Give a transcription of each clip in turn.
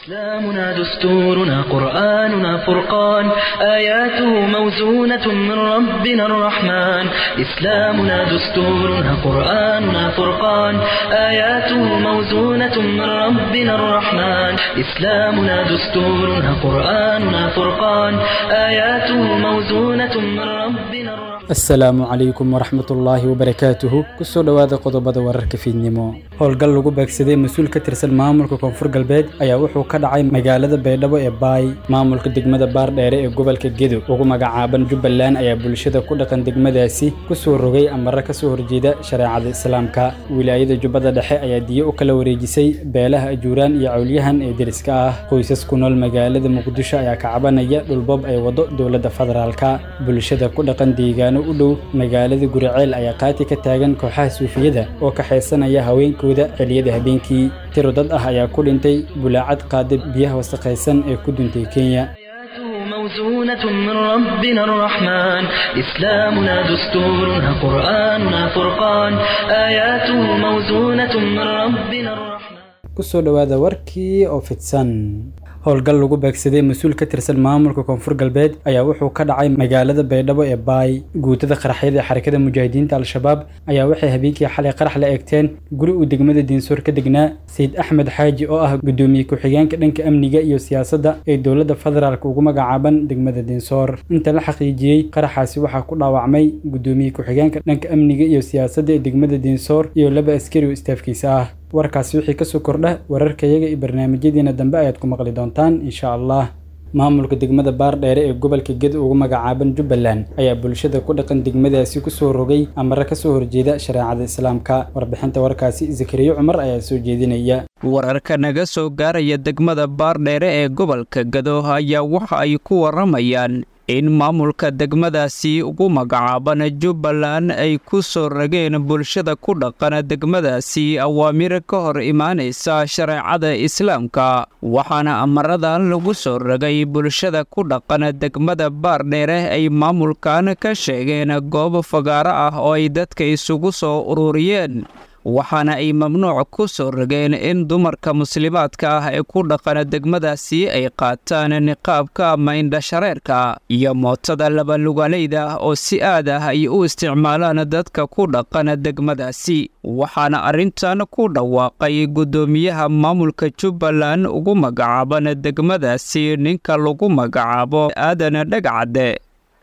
إسلامنا دستورنا قرآننا فرقان، آياته موزونة من ربنا الرحمن. إسلامنا دستورنا قرآننا فرقان، آياته موزونة من ربنا الرحمن. إسلامنا دستورنا قرآننا فرقان، آياته موزونة من ربنا الرحمن. Asalaamu calaykum waraxmatullaahi wabarakaatuhu. Kusoo dhowaada qodobada wararka fiidnimo. Howlgal lagu beegsaday mas-uul ka tirsan maamulka Koonfur Galbeed ayaa wuxuu ka dhacay magaalada Baydhabo ee Baay. Maamulka degmada Baardheere ee gobolka Gedo ugu magacaaban Jubbaland ayaa bulshada ku dhaqan degmadaasi kusoo rogay amare kasoo horjeeda shareecada Islaamka. Wilaayada Jubbada Dhexe ayaa diyo u kala wareejisay beelaha Ajuuraan iyo Cawlyahan ee deriska ah. Qoysas ku nool magaalada Muqdisho ayaa ka cabanaya dhulboob ay wado dowladda federaalka. Bulshada ku dhaqan deegaano u dhow magaalada Guriceel ayaa qaati ka taagan kooxaha suufiyada oo ka xeesanaya haweenkooda xilliyada habeenkii. Tiro dad ah ayaa ku dhintay bulaacad qaada biyaha wasakhaysan ee ku duntay Kenya. آياته موزونة من ربنا الرحمن. إسلامنا دستورنا قرآننا فرقان، آياته موزونة من ربنا الرحمن. Kusoo dhowaada warkii oo fidsan. Howlgal lagu beegsaday mas-uul ka tirsan maamulka Koonfur Galbeed ayaa wuxuu ka dhacay magaalada Baydhabo ee Baay. Guutada qaraxyada ee Xarakada Mujaahidiinta Al-Shabaab ayaa waxay habeenkii xalay qarax la eegteen guri uu degmada Diinsoor ka degnaa Sayid Axmed Xaaji, oo ah gudoomiye ku-xigeenka dhanka amniga iyo siyaasadda ee dowladda federaalk ugu magacaaban degmada Diinsoor. Inta la xaqiijiyey, qaraxaasi waxaa ku dhaawacmay gudoomiye ku-xigeenka dhanka amniga iyo siyaasadda ee degmada Diinsoor iyo laba askari oo istaafkiisa ah. Warkaasi wixii kasoo kordha wararkayaga iyo barnaamijyadeena dambe ayaad ku maqli doontaan, insha Allah. Maamulka degmada Baardheere ee gobolka Gedo ugu magacaaban Jubbaland ayaa bulshada ku dhaqan degmadaasi kusoo rogay amare kasoo horjeeda shareecada Islaamka. Warbixinta warkaasi Zakariyo Cumar ayaa soo jeedinaya. Wararka naga soo gaaraya degmada Baardheere ee gobolka Gado ayaa waxa ay ku waramayaan in maamulka degmadaasi ugu magacaaban Jubbaland ay ku soo rageen bulshada ku dhaqan degmadaasi awaamir ka hor imaanaysa shareecada Islaamka. Waxaana amaradan lagu soo ragay bulshada ku dhaqan degmada Baardheere ay maamulkan ka sheegeen goob fagaaro ah oo ay dadka isugu soo ururiyeen, waxaana ay mamnuuc ku soo rogeen in dumarka muslimaadka ah ee ku dhaqan degmadaasi ay qaataan niqaabka ama indhashareerka iyo mootada labalugalayda oo si aad ah ay u isticmaalaan dadka ku dhaqan degmadaasi. Waxaana arrintan ku dhawaaqay guddoomiyaha maamulka Jubbaland ugu magacaaban degmadaasi, ninka lagu magacaabo Aadan Dhagcadde.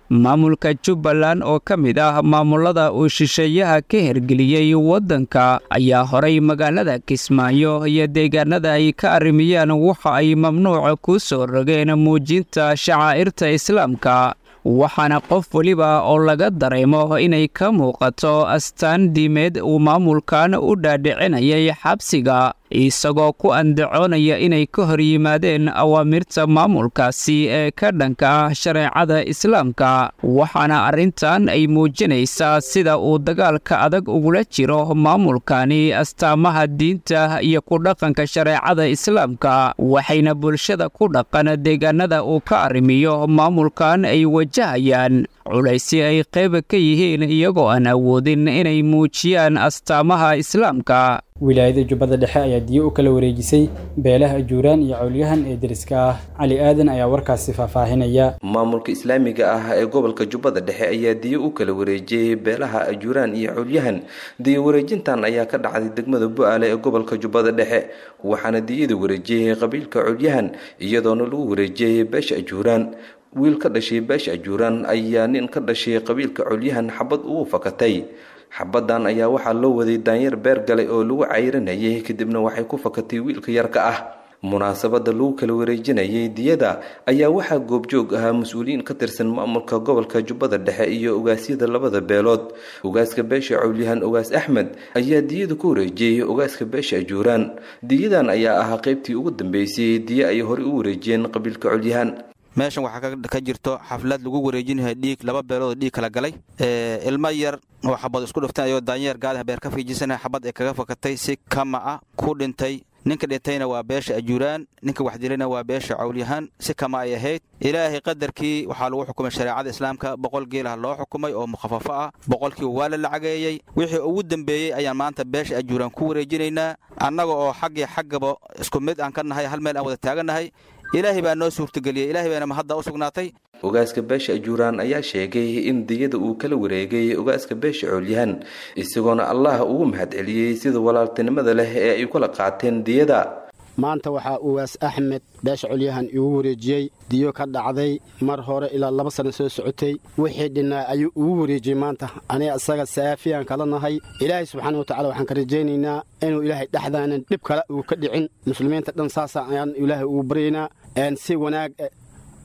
Maamulka Jubbaland oo ka mid ah maamulada uu shisheeyaha ka hergeliyey waddanka ayaa horay magaalada Kismaayo iyo deegaanada ay ka arrimiyaan waxa ay mamnuuca ku soo rogeen muujinta shacaa'irta Islaamka, waxaana qof weliba oo laga dareemo inay ka muuqato astaan diimeed uu maamulkan u dhaadhicinayay xabsiga, isagoo ku andacoonaya inay ka hor yimaadeen awaamirta maamulkaasi ee ka dhanka ah shareecada Islaamka. Waxaana arrintan ay muujinaysaa sida uu dagaalka adag ugula jiro maamulkani astaamaha diinta iyo ku dhaqanka shareecada Islaamka, waxayna bulshada ku dhaqan deegaanada uu ka arrimiyo maamulkan ay wajahayaan culaysi ay qayb ka yihiin iyagoo aan awoodin inay muujiyaan astaamaha Islaamka. Wilaayada Jubbada Dhexe ayaa diyo u kala wareejisay beelaha Ajuuraan iyo Cawlyahan ee deriska ah. Cali Aadan ayaa warkaasi faahfaahinaya. Maamulka islaamiga ah ee gobolka Jubbada Dhexe ayaa diyo u kala wareejiyey beelaha Ajuuraan iyo Cawlyahan. Diyo wareejintan ayaa ka dhacday degmada Bu-aale ee gobolka Jubbada Dhexe, waxaana diyada wareejiyey qabiilka Cawlyahan, iyadoona lagu wareejiyey beesha Ajuuraan. Wiil ka dhashay beesha Ajuuraan ayaa nin ka dhashay qabiilka Cawlyahan xabad ugu fakatay. Xabadan ayaa waxaa loo waday daanyeer beer galay oo lagu cayrinayay, kadibna waxay ku fakatay wiilka yarka ah. Munaasabada lagu kala wareejinayay diyada ayaa waxaa goobjoog ahaa mas-uuliyiin ka tirsan maamulka gobolka Jubbada Dhexe iyo ogaasyada labada beelood. Ogaaska beesha Cawlyahan, Ogaas Axmed, ayaa diyada ku wareejiyey ogaaska beesha Ajuuraan. Diyadan ayaa ahaa qaybtii ugu dambeysay diya ay horey u wareejiyeen qabiilka Cawlyahan. Meeshan waxaa ka jirto xaflad lagu wareejinayo dhiig laba beelood oo dhiig kala galay. Ilmo yar oo xabad isku dhufteen ayoo daanyeer gaadaha beer ka fiijisana xabad ay kaga fakatay, si kama ah ku dhintay. Ninka dhintayna waa beesha Ajuuraan, ninka wax dilayna waa beesha Cawlyahan. Si kama ay ahayd, Ilaahay qadarkii waxaa lagu xukumay shareecada Islaamka. 100 geelaha loo xukumay oo mukhafafo ah, 100kii waa la lacageeyey. Wixii ugu dambeeyey ayaan maanta beesha Ajuuraan ku wareejinaynaa, annaga oo xaggii xaggaba isku mid aan ka nahay, hal meel aan wada taagannahay. Ilaahay baa noo suurtageliyey, Ilaahay baana mahadda u sugnaatay. Ogaaska beesha Ajuuraan ayaa sheegay in diyada uu kala wareegay ogaaska beesha Coolyahan, isagoona Allah ugu mahadceliyey sida walaaltinimada leh ee ay kula qaateen diyada. Maanta waxaa Ugaas Axmed beesha Colyahan igu wareejiyey diyo ka dhacday mar hore, ilaa 2 sano soo socotay. Wixii dhinnaa ayuu ugu wareejiyey maanta. Aniga isaga saafiyaan kala nahay. Ilaahay subxaana watacala waxaan ka rajaynaynaa inuu Ilaahay dhexdaanan dhib kale uu ka dhicin. Muslimiinta dhan saasa ayaan Ilaahay ugu baryaynaa. Si wanaag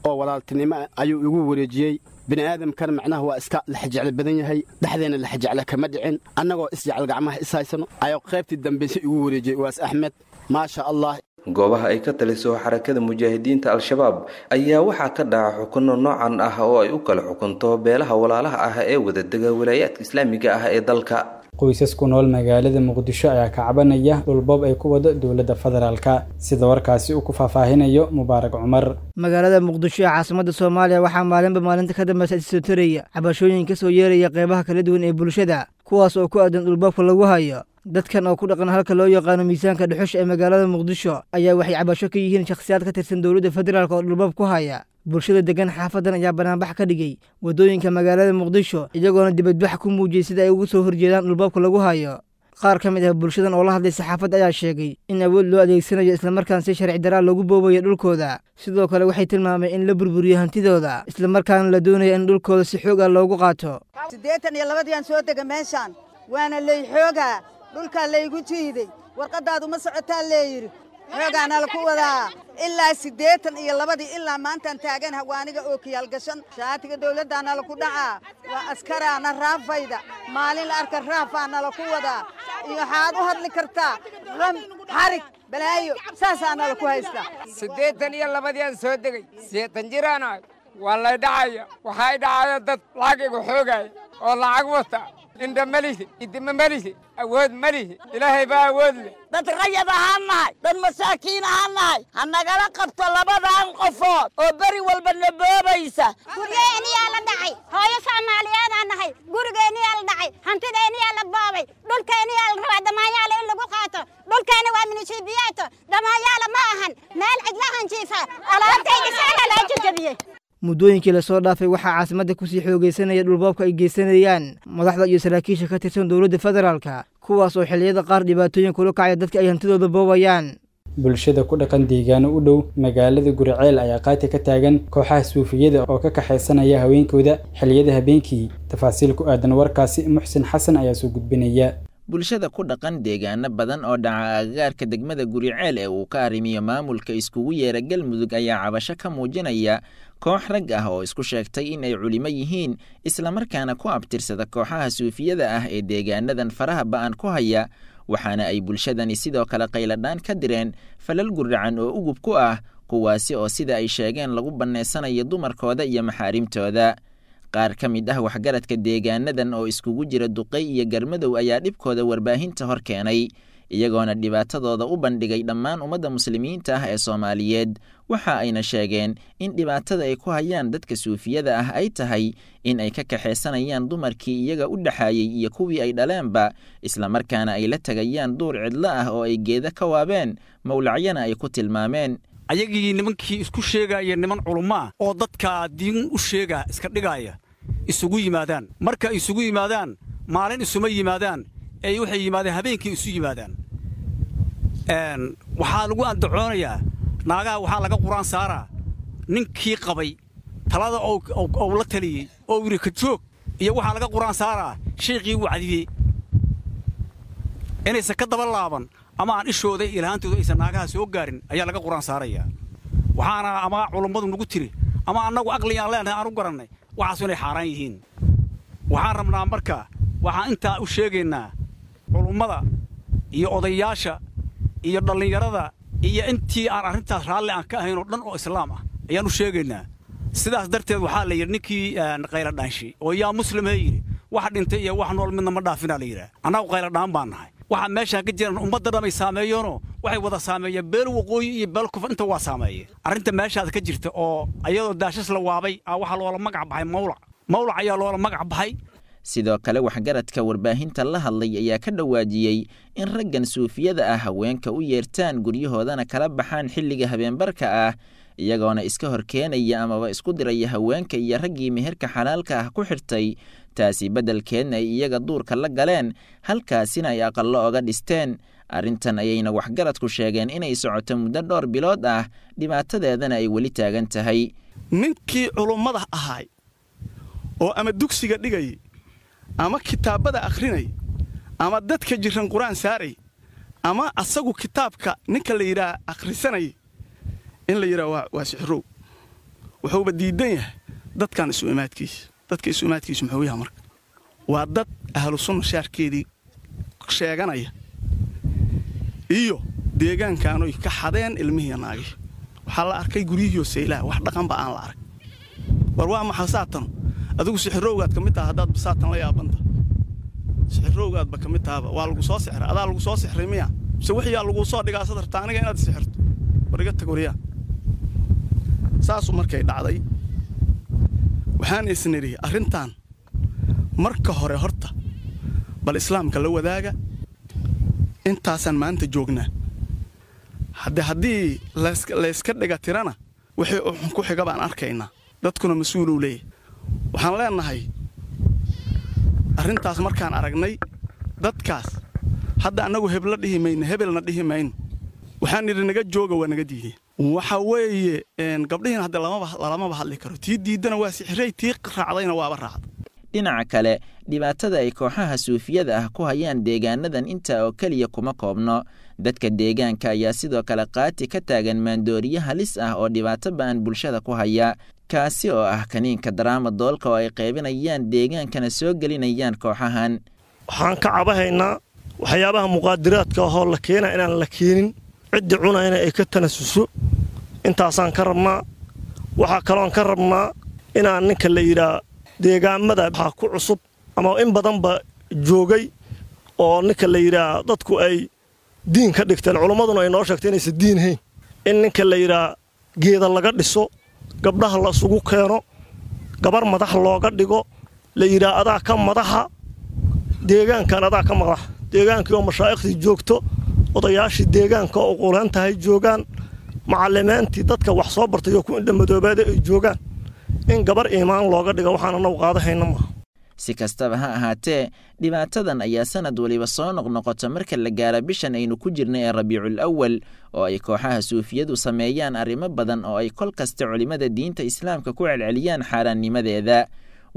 oo walaaltinimo ayuu igu wareejiyey. Bini aadamkan macnaha waa iska laxjeclo badan yahay. Dhexdeenna laxjeclo kama dhicin, annagoo isjecel gacmaha is haysano ayuu qaybtii dambayse igu wareejiyey Ugaas Axmed, maasha Allah. Goobaha ay ka taliso Xarakada Mujaahidiinta Al-Shabaab ayaa waxaa ka dhaca xukuno noocan ah oo ay u kala xukunto beelaha walaalaha ah ee wadadega walaayaadka islaamiga ah ee dalka. Qoysas ku nool magaalada Muqdisho ayaa ka cabanaya dhulboob ay ku wado dowladda federaalka, sida warkaasi uu ku faahfaahinayo Mubaarak Cumar. Magaalada Muqdisho ee caasimadda Soomaaliya waxaa maalinba maalinta ka dambeysa isoo taraya cabashooyin ka soo yeeraya qeybaha kala duwan ee bulshada, kuwaas oo ku aadan dhulboobka lagu hayo. Dadkan oo ku dhaqan halka loo yaqaano miisaanka dhuxusha ee magaalada Muqdisho ayaa waxay cabasho ka yihiin shakhsiyaad ka tirsan dowladda federaalk oo dhulboob ku haya. Bulshada degan xaafadan ayaa banaanbax ka dhigay waddooyinka magaalada Muqdisho, iyagoona dibadbax ku muujiyey sida ay ugu soo horjeedaan dhulboobka lagu hayo. Qaar ka mid ah bulshadan oo la hadlay saxaafadda ayaa sheegay in awood loo adeegsanayo, islamarkaan si sharci daraa loogu boobayo dhulkooda. Sidoo kale waxay tilmaameen in la burburiyo hantidooda, islamarkaana la doonayo in dhulkooda si xoog ah loogu qaato. 82dii aan soo dega meeshaan, waana lay xoogaa, dhulkaa laygu jiiday. Warqaddaadu ma socotaa leeyidhi, xoogaana laku wadaa. Ilaa 82dii ilaa maantaan taagan hawaaniga oo kiyaal gashan shaatiga dawladdaana laku dhacaa. Waa askaraana raafayda, maalin la arka raafaana laku wadaa. Iyo waxaad u hadli kartaa ram xarig balaayo, saasaana laku haystaa. 82dii aan soo degay, 80 jiraanahay, waa lay dhacaya. Waxay dhacaya dad lacag igu xoogaya oo lacag wata. Indha ma lihi, idima ma lihi, awood ma lihi, Ilaahay baa awood leh. Dad rayad ahaan nahay, dad masaakiin ahaan nahay. Ha nagala qabto labadan qofood oo beri walba na boobaysa. Guryeeniyaa la dhacay, hooyo Soomaaliyeedaan nahay. Gurigeenniyaa la dhacay, hantideeniyaa la boobay, dhulkeeniyaa la rabaa damaanyaala in lagu qaato. Dhulkeena waa minishiibiyaato, damaanyaala ma ahan. Meel cidlahan jiifa, alaabtayda saana laa jajabiyey. Muddooyinkii lasoo dhaafay waxaa caasimadda kusii xoogaysanaya dhulboobka ay geysanayaan madaxda iyo saraakiisha ka tirsan dowladda federaalka, kuwaas oo xilliyada qaar dhibaatooyin kula kacaya dadka ay hantidooda boobayaan. Bulshada ku dhaqan deegaano u dhow magaalada Guriceel ayaa qaati ka taagan kooxaha suufiyada oo ka kaxaysanaya haweenkooda xilliyada habeenkii. Tafaasiil ku aadan warkaasi Muxsin Xasan ayaa soo gudbinaya. Bulshada ku dhaqan deegaano badan oo dhaca agagaarka degmada Guriceel ee uu ka arrimiyo maamulka iskugu yeera Galmudug ayaa cabasho ka muujinaya koox rag ah oo isku sheegtay in ay culimo yihiin, islamarkaana ku abtirsada kooxaha suufiyada ah ee deegaanadan faraha ba'an ku haya. Waxaana ay bulshadani sidoo kale qayladhaan ka direen falal guracan oo ugub ku ah, kuwaasi oo sida ay sheegeen lagu bannaysanayo dumarkooda iyo maxaarimtooda. Qaar ka mid ah waxgaradka deegaanadan oo iskugu jira duqey iyo garmadow ayaa dhibkooda warbaahinta hor keenay, iyagoona dhibaatadooda u bandhigay dhammaan ummadda muslimiinta ah ee Soomaaliyeed. Waxa ayna sheegeen in dhibaatada ay ku hayaan dadka suufiyada ah ay tahay in ay ka kaxaysanayaan dumarkii iyaga u dhaxaayey iyo kuwii ay dhaleenba, islamarkaana ay la tegayaan duur cidlo ah oo ay geeda ka waabeen, mawlacyana ay ku tilmaameen. Ayagii nimankii isku sheegaya niman culummaa oo dadkaa diin u sheega iska dhigaaya isugu yimaadaan. Marka isugu yimaadaan, maalin isuma yimaadaan, ee waxay yimaadeen habeenkii isu yimaadaan. Waxaa lagu andacoonayaa naagaha, waxaa laga qur-aan saaraa ninkii qabay talada ou la taliyey oo yidhi ka joog, iyo waxaa laga qur-aan saaraa shayqii wacdiyey inaysan ka daba laaban ama aan ishooda iyo ilhaantooda aysan naagaha soo gaarin ayaa laga qur-aan saarayaa. Waxaana ama culummadu nagu tiri ama annagu aqli aan leenahay aan u garannay waxaasu inay xaaraan yihiin. Waxaan rabnaa marka, waxaan intaa u sheegaynaa culummada iyo odayaasha iyo dhallinyarada iyo intii aan arrintaas raalli aan ka ahayn oo dhan oo islaam ah ayaan u sheegaynaa. Sidaas darteed waxaa la yidhi ninkii qayladhaanshay oo yaa muslim he yidhi, wax dhintay iyo wax nool midna ma dhaafinaa la yidhaah. Annagu qayladhaan baan nahay. Waxaa meeshaan ka jiraan ummadda dhamay saameeyeenoo waxay wada saameeyeen beel waqooyi iyo beel kufur inta waa saameeyeen. Arrinta meeshaas ka jirta oo ayadoo daashas la waabay waxaa loola magac baxay mawlac, mawlac ayaa loola magac baxay. Sidoo kale waxgaradka warbaahinta la hadlay ayaa ka dhawaajiyey in raggan suufiyada ah haweenka u yeertaan guryahoodana kala baxaan xilliga habeenbarka ah, iyagoona iska horkeenaya amaba isku diraya haweenka iyo raggii meherka xalaalka ah ku xirtay, taasi beddelkeedna ay iyaga duurka la galeen, halkaasina ay aqallo oga dhisteen. Arrintan ayayna waxgaradku sheegeen inay socoto muddo dhowr bilood ah, dhibaatadeedana ay weli taagan tahay. Ninkii culummada ahaay oo ama dugsiga dhigayay ama kitaabada akhrinay ama dadka jiran qur-aan saaray ama asagu kitaabka ninka la yidhaah akhrisanay in la yidhaah waa sixirow, wuxuuba diidan yahay dadkan isu imaadkiisa. Dadka isu imaadkiisu muxuu yahay marka? Waa dad ahlu sunna shaarkeedii sheeganaya iyo deegaankaanoy ka xadeen ilmihiiya naagii. Waxaa la arkay guryihiioo saylaha wax dhaqanba aan la arag. War waa maxa saatan? Adigu sixirowgaad ka mid taha haddaad saatan la yaabanta. Sixirowgaadba ka mid tahaba waa lagu soo sixray, adaa lagu soo sixray miya? Mise wixiyaa laguu soo dhigaa sad rabtaa aniga inaad sixirto? War iga tag waryaa. Saasu markay dhacday waxaan isnidhi arrintan marka hore horta bal islaamka la wadaaga. Intaasaan maanta joognaa. Haddii layska dhiga tirana wixii uxun ku xiga baan arkaynaa, dadkuna mas-uuluu leeyahy. Waxaan leenahay arrintaas markaan aragnay dadkaas hadda annagu hebla dhihi mayno, hebelna dhihi mayno, waxaan nidhi naga jooga, waa naga diideen. Waxa weeye gabdhihiina hadda lalamaba hadli karo, tii diiddana waa sixiray, tii raacdayna waaba raacda. Dhinaca kale dhibaatada ay kooxaha suufiyada ah ku hayaan deegaanadan intaa oo keliya kuma koobno. Dadka deegaanka ayaa sidoo kale qaati ka taagan maandooriye halis ah oo dhibaato ba'an bulshada ku haya, kaasi oo ah kaniinka daraama doolka oo ay qaybinayaan deegaankana soo gelinayaan kooxahan. Waxaan ka cabahaynaa waxyaabaha muqaadiraadka ahoo la keena inaan la keenin, ciddii cunayna ay ka tanasuso, intaasaan ka rabnaa. Waxaa kaloon ka rabnaa inaan ninka la yidhaa deegaamada waxaa ku cusub ama in badanba joogay oo ninka la yidhaa dadku ay diin ka dhigteen, culummaduna ay noo sheegtay inaysan diin hayn, in ninka la yidhaa geeda laga dhiso, gabdhaha la isugu keeno, gabar madax looga dhigo, la yidhaa adaa ka madaxa deegaankan, adaa ka madaxa deegaankii oo mashaa'ikhtii joogto, odayaashii deegaanka oo quulaan tahay joogaan, macallimiintii dadka wax soo bartay oo ku indhamadoobaada ay joogaan, in gabar iimaan looga dhigo waxaan annagu qaadahayna maaha. Si kastaba ha ahaatee dhibaatadan ayaa sanad waliba soo noqnoqota marka la gaaro bishan aynu ku jirna ee Rabiicul Awal, oo ay kooxaha suufiyadu sameeyaan arrimo badan oo ay kol kasta culimmada diinta islaamka ku celceliyaan xaaraannimadeeda,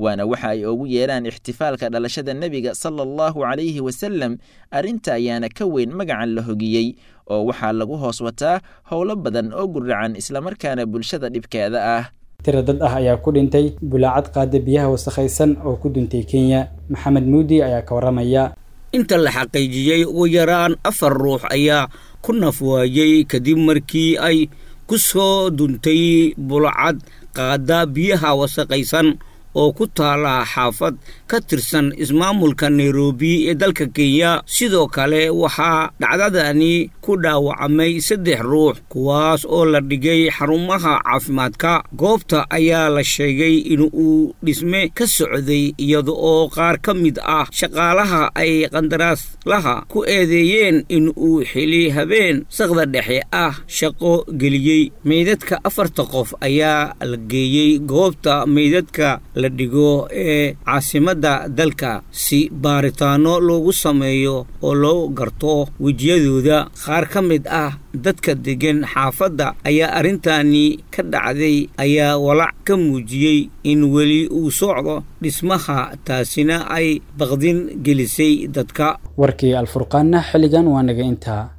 waana waxa ay ugu yeeraan ixtifaalka dhalashada nebiga sala allahu calayhi wasalam. Arrinta ayaana ka weyn magacan la hogiyey oo waxaa lagu hoos wataa howlo badan oo guracan islamarkaana bulshada dhibkeeda ah. Tira dad ah ayaa ku dhintay bulaacad qaada biyaha wasakhaysan oo ku duntay Kenya. Maxamed Muudi ayaa ka warramaya. Inta la xaqiijiyey ugu yaraan 4 ruux ayaa ku nafwaayey kadib markii ay ku soo duntay bulacad qaada biyaha wasakhaysan oo ku taala xaafad ka tirsan ismaamulka Nairobi ee dalka Kenya. Sidoo kale waxaa dhacdadani ku dhaawacmay 3 ruux, kuwaas oo la dhigay xarumaha caafimaadka. Goobta ayaa la sheegay in uu dhisme ka socday, iyada oo qaar ka mid ah shaqaalaha ay qandaraaslaha ku eedeeyeen in uu xili habeen saqda dhexe ah shaqo geliyey. Meydadka 4 qof ayaa la geeyey goobta meydadka la dhigo ee caasimadda dalka si baaritaano loogu sameeyo oo loo garto wejiyadooda. Qaar ka mid ah dadka degan xaafadda ayaa arrintani ka dhacday ayaa walaac ka muujiyey in weli uu socdo dhismaha, taasina ay baqdin gelisay dadka. Warkii Alfurqaanna xilligan waa naga intaa.